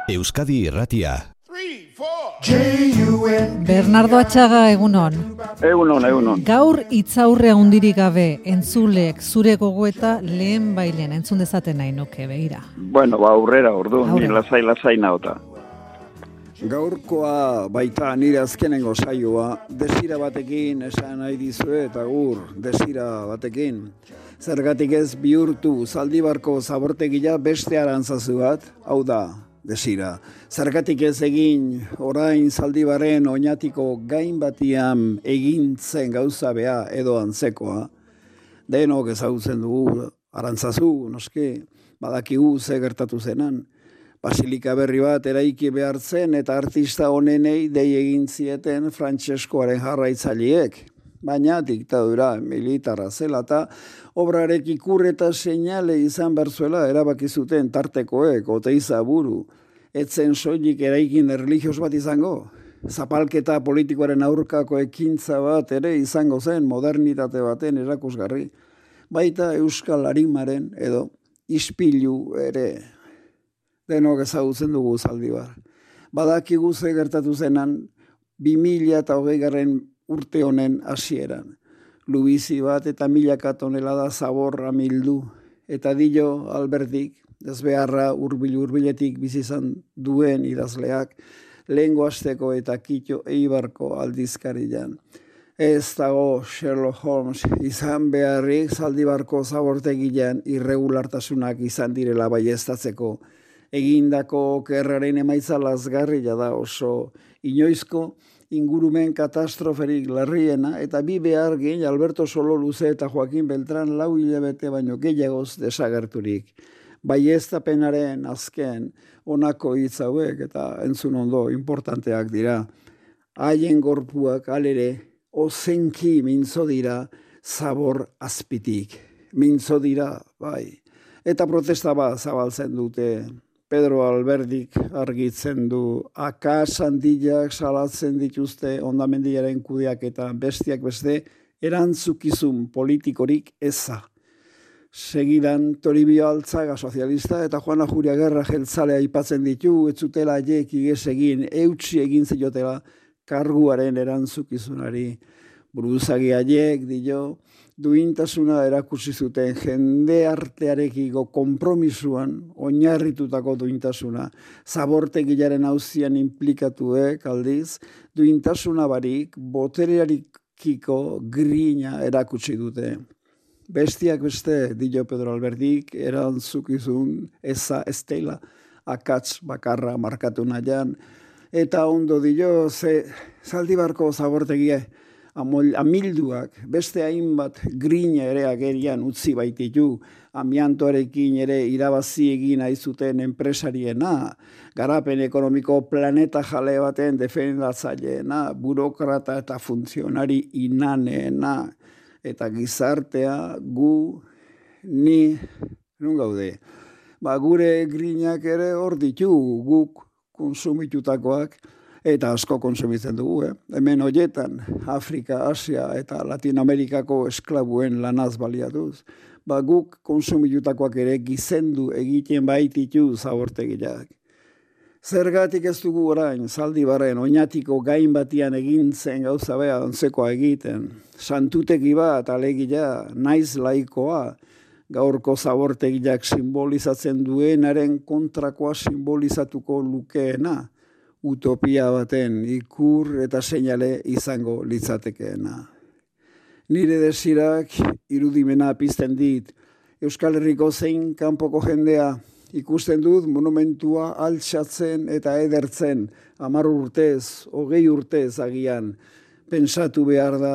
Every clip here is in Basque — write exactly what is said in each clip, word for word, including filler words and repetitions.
Euskadi Irratia. Bernardo Atxaga, egunon. Egunon, egunon. Gaur hitzaurre handirik gabe entzulek zure gogoeta lehen bailen entzun dezaten nahi nuke, begira. Bueno, ba, aurrera, ordu, ni lasai lasai naota. Gaurkoa baita nire azkenengo saioa, desira batekin esan nahi dizue eta gur, desira batekin. Zergatik ez bihurtu Zaldibarko zabortegia beste arantzazu bat, hau da, desira. Zergatik ez egin orain Zaldibarren oinatiko gain batian egintzen gauza bea edo antzekoa. Denok ezagutzen dugu arantzazu, noske, badakigu ze gertatu zenan. Basilika berri bat eraiki behartzen eta artista honenei dei egin zieten Frantseskoaren jarraitzaileek. Baina diktadura militarra zela eta obrarek ikur eta seinale izan berzuela erabaki zuten tartekoek, Oteiza buru. Etzen soilik eraikin erlijios bat izango. Zapalketa politikoaren aurkako ekintza bat ere izango zen modernitate baten erakusgarri. Baita Euskal Arimaren edo ispilu ere. Denok ezagutzen dugu Zaldibar. Badakigu ze gertatu zenan bi mila eta hogei garren urte honen hasieran. Lubizi bat eta milaka tonelada zaborra mildu. Eta Dillo Alberdik, ezbeharra hurbil-hurbiletik bizi izan duen idazleak, lehengo asteko eta Kito Eibarko aldizkarian. Ez dago Sherlock Holmes izan beharrik Zaldibarko zabortegian irregulartasunak izan direla baieztatzeko. Egindako okerraren emaitza lazgarria da oso inoizko ingurumen katastroferik larriena eta bi behar gehin Alberto Sololuze eta Joaquin Beltran lau hilabete baino gehiagoz desagerturik. Baieztapenaren azken honako hitz hauek eta entzun ondo importanteak dira. Haien gorpuak alere ozenki mintzo dira zabor azpitik. Mintzo dira, bai. Eta protesta bat zabaltzen dute. Pedro Alberdik argitzen du, akas handilak salatzen dituzte hondamendiaren kudeak eta bestiak beste erantzukizun politikorik eza. Segidan Toribio Altzaga sozialista eta Juana Juria Gerra jeltzalea aipatzen ditu, ez zutela haiek iges egin, eutsi egin ziotela karguaren erantzukizunari. Buruzagi haiek, dio, duintasuna erakutsi zuten jende artearekiko konpromisuan oinarritutako duintasuna. Zabortegilaren auzian implikatuek aldiz, duintasuna barik boterearikiko grina erakutsi dute. Bestiak beste, dio Pedro Alberdik, erantzukizun eza estela, akats bakarra markatu nahian, eta ondo dio, ze Zaldibarko zabortegie, amilduak, beste hainbat grina ere agerian utzi baititu, amiantoarekin ere irabazi egin aizuten enpresariena, garapen ekonomiko planeta jale baten defendatzaileena, burokrata eta funtzionari inaneena, eta gizartea gu, ni, nun gaude, ba, gure grinak ere hor ditu, guk konsumitutakoak, eta asko konsumitzen dugu, eh? Hemen hoietan, Afrika, Asia eta Latinoamerikako esklabuen lanaz baliatuz. Ba, guk konsumitutakoak ere gizendu egiten baititu zabortegiak. Zergatik ez dugu orain, Zaldibarren oinatiko gain batian egintzen gauza bea ontzekoa egiten. Santutegi bat, alegia, naiz laikoa, gaurko zabortegiak simbolizatzen duenaren kontrakoa simbolizatuko lukeena. Utopia baten ikur eta seinale izango litzatekeena. Nire desirak irudimena pizten dit, Euskal Herriko zein kanpoko jendea ikusten dut monumentua altxatzen eta edertzen, hamar urtez, hogei urtez agian, pentsatu behar da,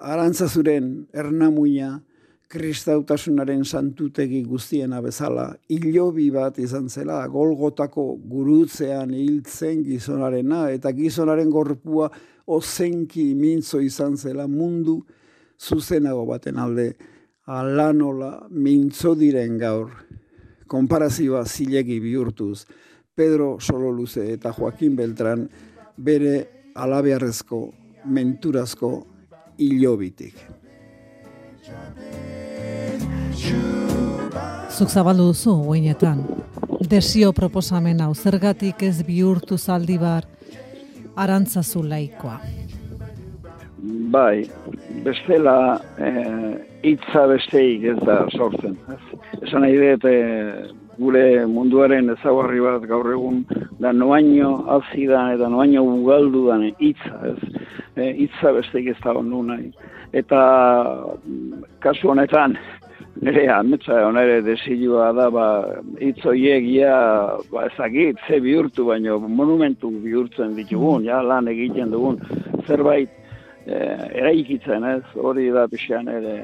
arantzazuren ernamuina, kristautasunaren santutegi guztiena bezala, hilobi bat izan zela, Golgotako gurutzean hiltzen gizonarena, eta gizonaren gorpua ozenki mintzo izan zela mundu zuzenago baten alde, alanola mintzo diren gaur. Konparazioa zilegi bihurtuz, Pedro Sololuze eta Joaquin Beltran bere alabearrezko, menturazko hilobitik. Zuk zabaldu duzu, guinetan. desio proposamen hau, zergatik ez bihurtu Zaldibar Arantzazu laikoa? Bai, bestela hitza e, besteik ez da sortzen. Ez. Esan nahi dut, e, gure munduaren ezaugarri bat gaur egun da noaino azidan eta noaino ugaldudan hitza, ez. E, hitza besteik ez da ondu nahi. Eta kasu honetan, nire ametsa honere desilua da, ba, hitz horiek ja, ba, ezagit, ze bihurtu, baino monumentu bihurtzen ditugun, ja, lan egiten dugun, zerbait eh, eraikitzen, ez, hori da pixean ere,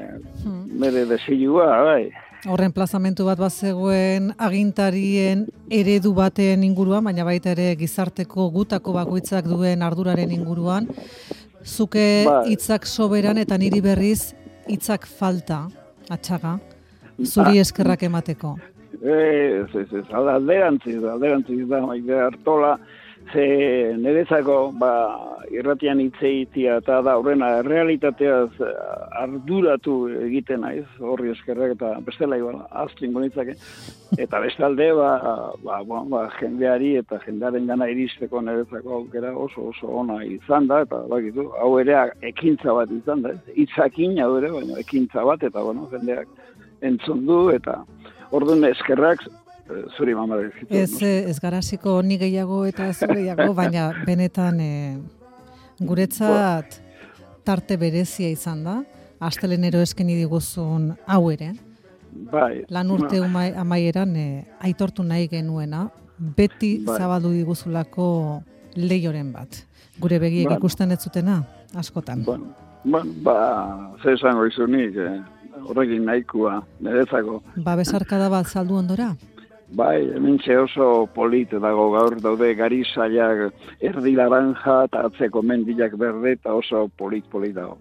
nire desilua, bai. Horren plazamentu bat bazegoen agintarien eredu baten inguruan, baina baita ere gizarteko gutako bakoitzak duen arduraren inguruan, zuke hitzak soberan eta niri berriz hitzak falta, atxaga, zuri eskerrak emateko. Ez, ez, ez, alderantziz, alderantziz da, maite hartola, ze nerezako, ba, irratian hitzeitia eta da, horrena, realitateaz arduratu egiten naiz, horri eskerrak eta bestela igual, aztringo nitzake. Eta bestalde, ba, ba, ba, ba, jendeari eta jendearen gana iristeko nerezako aukera oso oso ona izan da, eta bakitu, hau ere ekintza bat izan da, hitzakin hau ere, baina ekintza bat, eta bueno, jendeak entzun du, eta orduan eskerrak, zuri mama dezitu. Ez, ez garaziko ni gehiago eta zure gehiago, baina benetan e, guretzat tarte berezia izan da, astelenero eskeni diguzun hau ere. Bai. Lan urte umai, amaieran e, aitortu nahi genuena, beti bai. Zabaldu diguzulako lehioren bat. Gure begiek bai. Ikusten ez zutena, askotan. Bueno, bueno, ba, ze esango izunik, eh, horrekin nahikoa, nerezako. Ba, besarkada bat saldu ondora? Bai, hementxe oso polit dago gaur daude garizaiak erdi laranja eta atzeko mendilak berde eta oso polit-polit dago.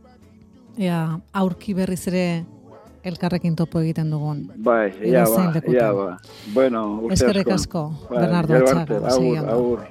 Ea, aurki berriz ere elkarrekin topo egiten dugun. Bai, ea ba, ea ba. Bueno, urte asko. Eskerrik asko, Bernardo Atxaga. Agur, agur.